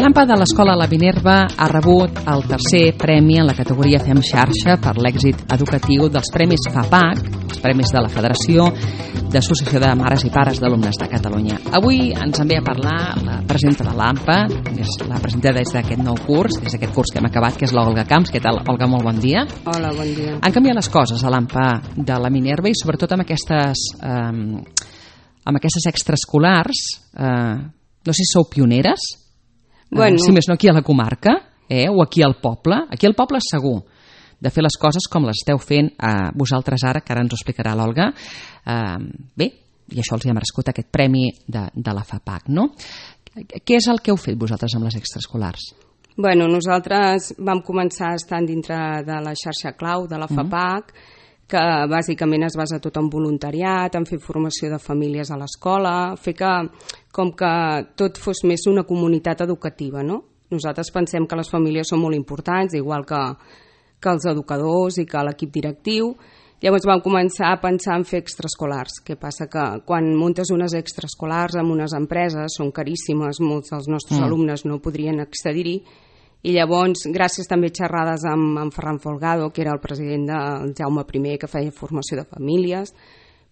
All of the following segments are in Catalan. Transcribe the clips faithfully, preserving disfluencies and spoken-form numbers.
L'AMPA de l'Escola La Minerva ha rebut el tercer premi en la categoria Fem Xarxa per l'èxit educatiu dels Premis FAPAC, els Premis de la Federació d'Associació de Mares i Pares d'Alumnes de Catalunya. Avui ens en ve a parlar la presidenta de l'AMPA, és la presidenta des d'aquest nou curs, des d'aquest curs que hem acabat, que és l'Olga Camps. Què tal, Olga? Molt bon dia. Hola, bon dia. Han canviat les coses a l'AMPA de la Minerva i sobretot amb aquestes, eh, amb aquestes extraescolars, eh, no sé si sou pioneres, bueno. eh, si més no aquí a la comarca, eh, o aquí al poble. Aquí al poble segur de fer les coses com les esteu fent eh, vosaltres ara, que ara ens ho explicarà l'Olga. Eh, bé, i això els hi ha merescut aquest premi de, de la FAPAC, no? Què és el que heu fet vosaltres amb les extraescolars? Bueno, nosaltres vam començar estant dintre de la xarxa clau de la FAPAC, mm. que bàsicament es basa tot en voluntariat, en fer formació de famílies a l'escola, fer que, com que tot fos més una comunitat educativa, no? Nosaltres pensem que les famílies són molt importants, igual que, que els educadors i que l'equip directiu. Llavors vam començar a pensar en fer extraescolars. Què passa? Que quan muntes unes extraescolars en unes empreses són caríssimes, molts dels nostres mm. alumnes no podrien accedir-hi, i llavors, gràcies també a xerrades amb, amb Ferran Folgado, que era el president del Jaume primer, que feia formació de famílies,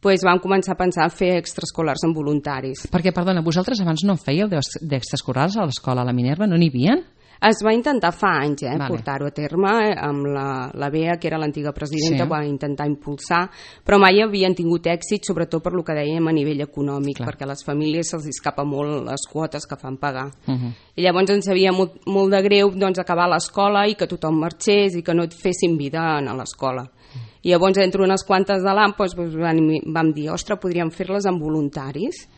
doncs vam començar a pensar en fer extraescolars amb voluntaris. Perquè, perdona, vosaltres abans no en fèieu d'extraescolars a l'escola a la Minerva? No n'hi havia? Es va intentar fa anys eh, vale. portar-ho a terme, amb la, la Bea, que era l'antiga presidenta, sí. va intentar impulsar, però mai havien tingut èxit, sobretot per lo que dèiem a nivell econòmic, Clar. perquè a les famílies se'ls escapa molt les quotes que fan pagar. Uh -huh. I llavors ens havia molt, molt de greu doncs, acabar l'escola i que tothom marxés i que no et fessin vida a l'escola. I llavors, entre unes quantes de l'AMPA, doncs, vam dir, ostres, podríem fer-les amb voluntaris.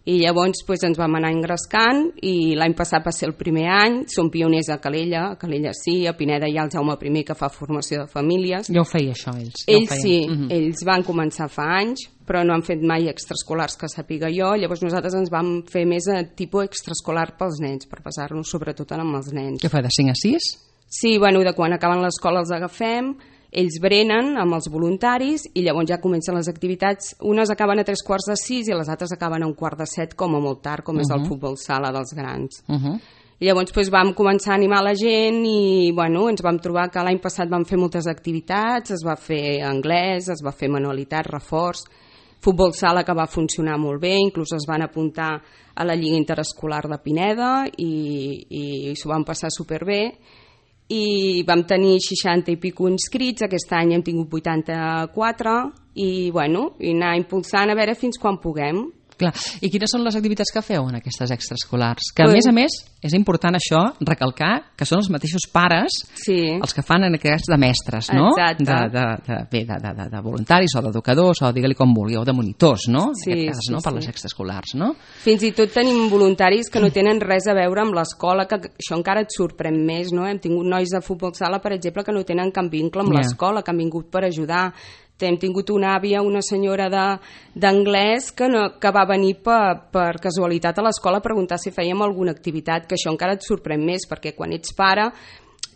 I llavors doncs, ens vam anar engrescant i l'any passat va ser el primer any. Som pioners a Calella, a Calella sí, a Pineda hi ha el Jaume primer que fa formació de famílies. Ja ho feia això, ells. Ells ja sí, uh -huh. ells van començar fa anys, però no han fet mai extraescolars que sàpiga jo. Llavors nosaltres ens vam fer més a tipus extraescolar pels nens, per passar-nos sobretot amb els nens. Què fa, de cinc a sis? Sí, bueno, de quan acaben l'escola els agafem, ells brenen amb els voluntaris i llavors ja comencen les activitats. Unes acaben a tres quarts de sis i les altres acaben a un quart de set, com a molt tard, com uh -huh. és el futbol sala dels grans. Uh -huh. I llavors doncs, vam començar a animar la gent i bueno, ens vam trobar que l'any passat vam fer moltes activitats, es va fer anglès, es va fer manualitat, reforç, futbol sala que va funcionar molt bé, inclús es van apuntar a la Lliga Interescolar de Pineda i, i, i s'ho van passar superbé. I vam tenir seixanta i pico inscrits, aquest any hem tingut vuitanta-quatre i, bueno, i anar impulsant a veure fins quan puguem. Clar. I quines són les activitats que feu en aquestes extraescolars? Que a més a més és important això, recalcar que són els mateixos pares sí. els que fan en aquest cas de mestres, no? Exacte. De, de, de, bé, de, de, de voluntaris o d'educadors o digue-li com vulgui, o de monitors, no? Sí, en aquest cas, sí, no? Per sí. les extraescolars, no? Fins i tot tenim voluntaris que no tenen res a veure amb l'escola, que això encara et sorprèn més, no? Hem tingut nois de futbol sala, per exemple, que no tenen cap vincle amb yeah. l'escola, que han vingut per ajudar. Hem tingut una àvia, una senyora d'anglès que, no, que va venir per, per casualitat a l'escola a preguntar si fèiem alguna activitat, que això encara et sorprèn més, perquè quan ets pare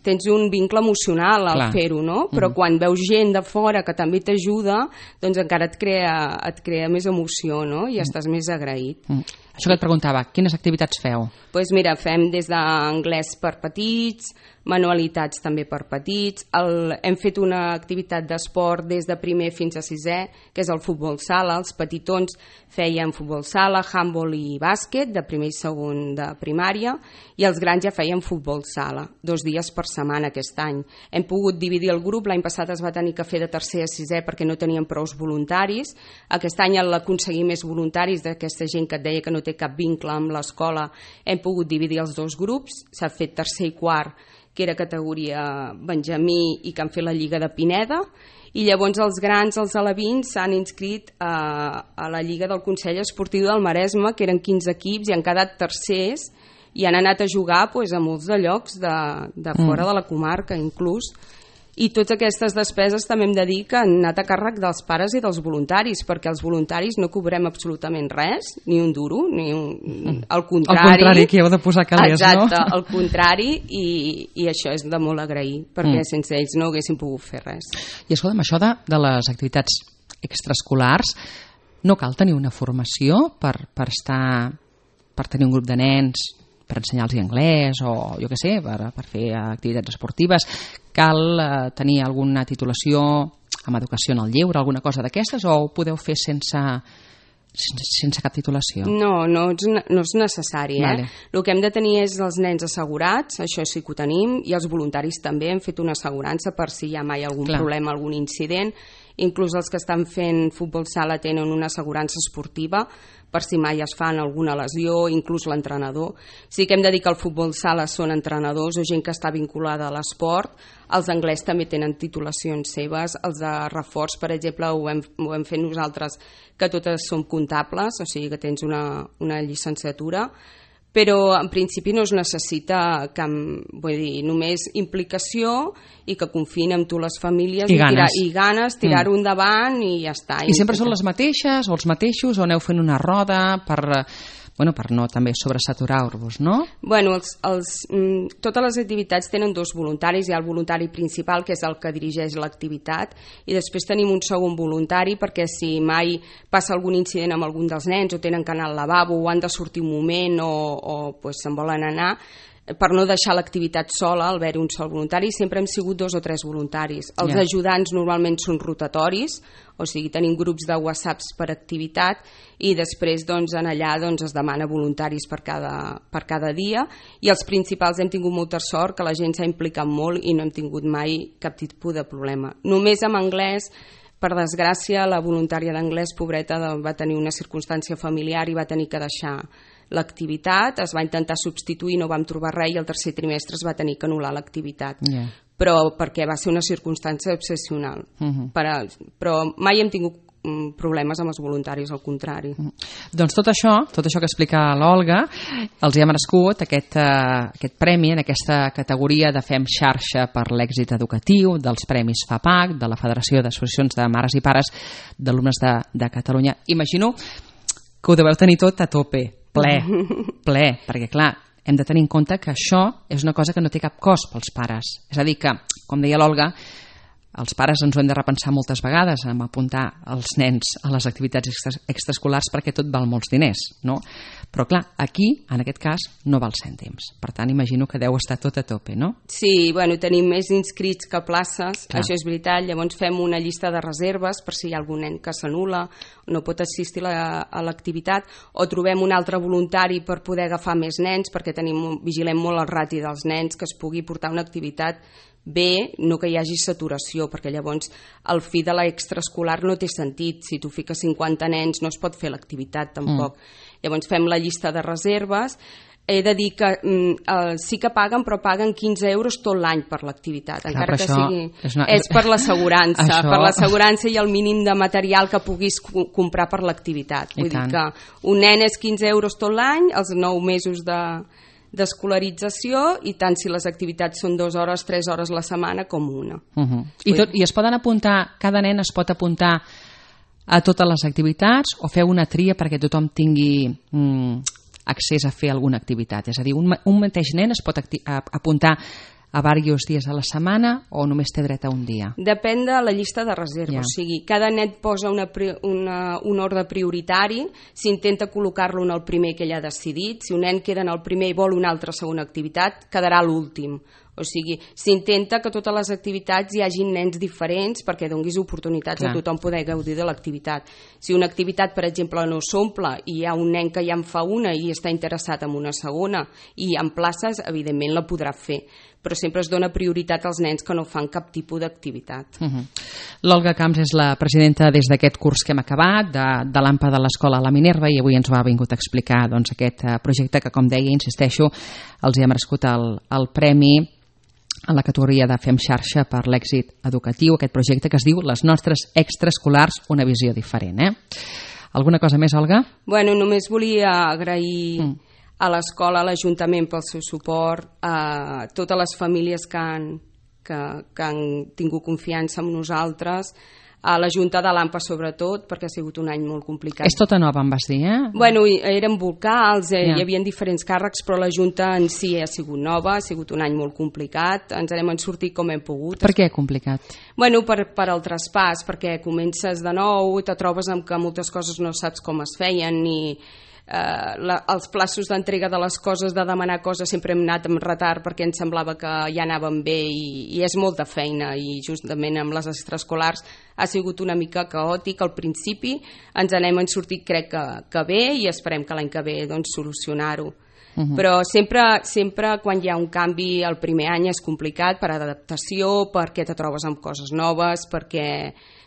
tens un vincle emocional al fer-ho, no? Però mm. quan veus gent de fora que també t'ajuda, doncs encara et crea, et crea més emoció, no? I mm. estàs més agraït. Mm. Això que et preguntava, quines activitats feu? Doncs pues mira, fem des d'anglès per petits, manualitats també per petits, el, hem fet una activitat d'esport des de primer fins a sisè, que és el futbol sala. Els petitons feien futbol sala, handball i bàsquet, de primer i segon de primària, i els grans ja feien futbol sala, dos dies per setmana aquest any. Hem pogut dividir el grup, l'any passat es va tenir que fer de tercer a sisè perquè no teníem prous voluntaris, aquest any l'aconseguir més voluntaris d'aquesta gent que et deia que no té cap vincle amb l'escola, hem pogut dividir els dos grups, s'ha fet tercer i quart, que era categoria Benjamí i que han fet la Lliga de Pineda, i llavors els grans, els alevins, s'han inscrit a, a la Lliga del Consell Esportiu del Maresme, que eren quinze equips i han quedat tercers i han anat a jugar pues, a molts de llocs de, de fora mm. de la comarca inclús. I totes aquestes despeses també hem de dir que han anat a càrrec dels pares i dels voluntaris, perquè els voluntaris no cobrem absolutament res, ni un duro, ni un... al contrari. Al contrari, que heu de posar calés, exacte, no? Exacte, al contrari, i, i això és de molt agrair, perquè mm. sense ells no haguéssim pogut fer res. I escolta'm, això de, de les activitats extraescolars, no cal tenir una formació per, per estar, per tenir un grup de nens per ensenyar-los anglès o, jo què sé, per, per fer activitats esportives, cal eh, tenir alguna titulació amb educació en el lleure, alguna cosa d'aquestes, o ho podeu fer sense... sense cap titulació? No, no és, no és necessari. Eh? Vale. El que hem de tenir és els nens assegurats, això sí que ho tenim, i els voluntaris també hem fet una assegurança per si hi ha mai algun Clar. problema, algun incident. Inclús els que estan fent futbol sala tenen una assegurança esportiva per si mai es fan alguna lesió, inclús l'entrenador. Sí que hem de dir que el futbol sala són entrenadors o gent que està vinculada a l'esport. Els anglès també tenen titulacions seves. Els de reforç, per exemple, ho hem, ho hem fet nosaltres, que totes som comptables, o sigui que tens una, una llicenciatura, però en principi no es necessita cap, vull dir, només implicació i que confien en tu les famílies i, i, ganes. tirar, i ganes, tirar-ho mm. endavant i ja està. I sempre són les mateixes o els mateixos o aneu fent una roda per, bueno, per no també sobresaturar-vos, no? Bueno, els, els, mm, totes les activitats tenen dos voluntaris. Hi ha el voluntari principal, que és el que dirigeix l'activitat, i després tenim un segon voluntari perquè si mai passa algun incident amb algun dels nens o tenen que anar al lavabo o han de sortir un moment o, o pues, se'n volen anar, per no deixar l'activitat sola, al haver-hi un sol voluntari, sempre hem sigut dos o tres voluntaris. Els yeah. ajudants normalment són rotatoris, o sigui, tenim grups de whatsapps per activitat i després doncs, en allà doncs, es demana voluntaris per cada, per cada dia, i els principals hem tingut molta sort, que la gent s'ha implicat molt i no hem tingut mai cap tipus de problema. Només amb anglès, per desgràcia, la voluntària d'anglès, pobreta, va tenir una circumstància familiar i va tenir que deixar l'activitat, es va intentar substituir, no vam trobar res i el tercer trimestre es va tenir que anul·lar l'activitat. Yeah. Però perquè va ser una circumstància excepcional. Uh-huh. Per a, però mai hem tingut problemes amb els voluntaris, al contrari. Uh-huh. Doncs tot això, tot això que explica l'Olga, els hi ha merescut aquest, uh, aquest premi en aquesta categoria de Fem Xarxa per l'èxit educatiu, dels Premis FAPAC, de la Federació d'Associacions de Mares i Pares d'Alumnes de, de Catalunya. Imagino que ho deveu tenir tot a tope, ple, ple, perquè clar, hem de tenir en compte que això és una cosa que no té cap cost pels pares. És a dir que, com deia l'Olga, els pares ens ho hem de repensar moltes vegades en apuntar els nens a les activitats extra, extraescolars perquè tot val molts diners, no? Però clar, aquí, en aquest cas, no val cèntims. Per tant, imagino que deu estar tot a tope, no? Sí, bueno, tenim més inscrits que places, clar. Això és veritat. Llavors fem una llista de reserves per si hi ha algun nen que s'anul·la, no pot assistir a, a l'activitat, o trobem un altre voluntari per poder agafar més nens, perquè tenim, vigilem molt el rati dels nens, que es pugui portar una activitat bé, no que hi hagi saturació, perquè llavors el fi de l'extraescolar no té sentit. Si tu fiques cinquanta nens no es pot fer l'activitat tampoc. Mm. Llavors fem la llista de reserves. He de dir que mm, sí que paguen, però paguen quinze euros tot l'any per l'activitat, clar, encara que sigui... És, una... és per l'assegurança, això... per l'assegurança i el mínim de material que puguis comprar per l'activitat. Vull dir que un nen és quinze euros tot l'any, els nou mesos de... d'escolarització, i tant si les activitats són dues hores, tres hores la setmana com una. Uh-huh. I, tot, I es poden apuntar, cada nen es pot apuntar a totes les activitats o feu una tria perquè tothom tingui mm, accés a fer alguna activitat? És a dir, un, un mateix nen es pot acti- a, apuntar a diversos dies a la setmana o només té dret a un dia? Depèn de la llista de reserva, yeah. O sigui, cada net posa una, una, un ordre prioritari, s'intenta col·locar-lo en el primer que ell ha decidit. Si un nen queda en el primer i vol una altra segona activitat, quedarà l'últim. O sigui, s'intenta que totes les activitats hi hagin nens diferents perquè donguis oportunitats Clar. a tothom poder gaudir de l'activitat. Si una activitat, per exemple, no s'omple i hi ha un nen que ja en fa una i està interessat en una segona i hi ha places, evidentment la podrà fer. Però sempre es dona prioritat als nens que no fan cap tipus d'activitat. Uh-huh. L'Olga Camps és la presidenta des d'aquest curs que hem acabat, de, de l'A M P A de l'Escola La Minerva, i avui ens ho ha vingut a explicar doncs, aquest projecte que, com deia, insisteixo, els hi ha merescut el, el premi en la categoria de Fem Xarxa per l'èxit educatiu, aquest projecte que es diu Les nostres extraescolars, una visió diferent. Eh? Alguna cosa més, Olga? Bueno, només volia agrair mm. a l'escola, a l'Ajuntament pel seu suport, a totes les famílies que han, que, que han tingut confiança en nosaltres, a la Junta de l'A M P A sobretot, perquè ha sigut un any molt complicat. És tota nova, em vas dir, eh? Bueno, eren vocals, eh, yeah. hi havia diferents càrrecs, però la Junta en si ha sigut nova, ha sigut un any molt complicat, ens n'hem sortit com hem pogut. Per què complicat? Bueno, per, per el traspàs, perquè comences de nou, te trobes amb que moltes coses no saps com es feien, ni eh, la, els plaços d'entrega de les coses, de demanar coses, sempre hem anat amb retard perquè ens semblava que ja anàvem bé i, i és molta feina, i justament amb les extraescolars ha sigut una mica caòtic al principi. Ens n'hem sortit crec que, que bé, i esperem que l'any que ve doncs, solucionar-ho. Uh-huh. Però sempre, sempre quan hi ha un canvi el primer any és complicat per adaptació, perquè te trobes amb coses noves, perquè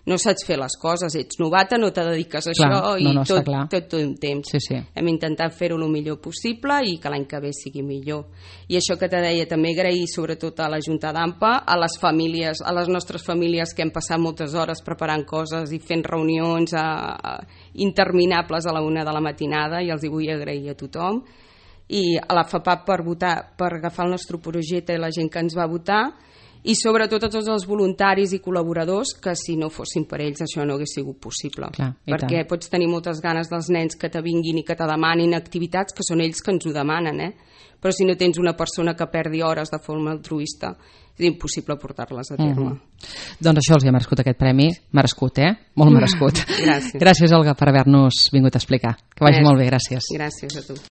no saps fer les coses, ets novata, no te dediques a clar, això, i no, no, tot, tot, tot, tot un temps. Sí, sí. Hem intentat fer-ho el millor possible i que l'any que ve sigui millor. I això que te deia, també agrair sobretot a la Junta d'Ampa, a les famílies, a les nostres famílies que hem passat moltes hores preparant coses i fent reunions a, a, interminables a la una de la matinada, i els hi vull agrair a tothom. I a la FAPAP per votar, per agafar el nostre projecte i la gent que ens va votar, i sobretot a tots els voluntaris i col·laboradors que si no fossin per ells això no hagués sigut possible. Clar, perquè tant. Pots tenir moltes ganes dels nens que te vinguin i que te demanin activitats que són ells que ens ho demanen, eh? Però si no tens una persona que perdi hores de forma altruista és impossible portar-les a terme. Mm-hmm. Doncs això els ha merescut aquest premi, merescut, eh? Molt merescut. Gràcies. Gràcies, Olga, per haver-nos vingut a explicar. Que vagi Gràcies. Molt bé, gràcies. Gràcies a tu.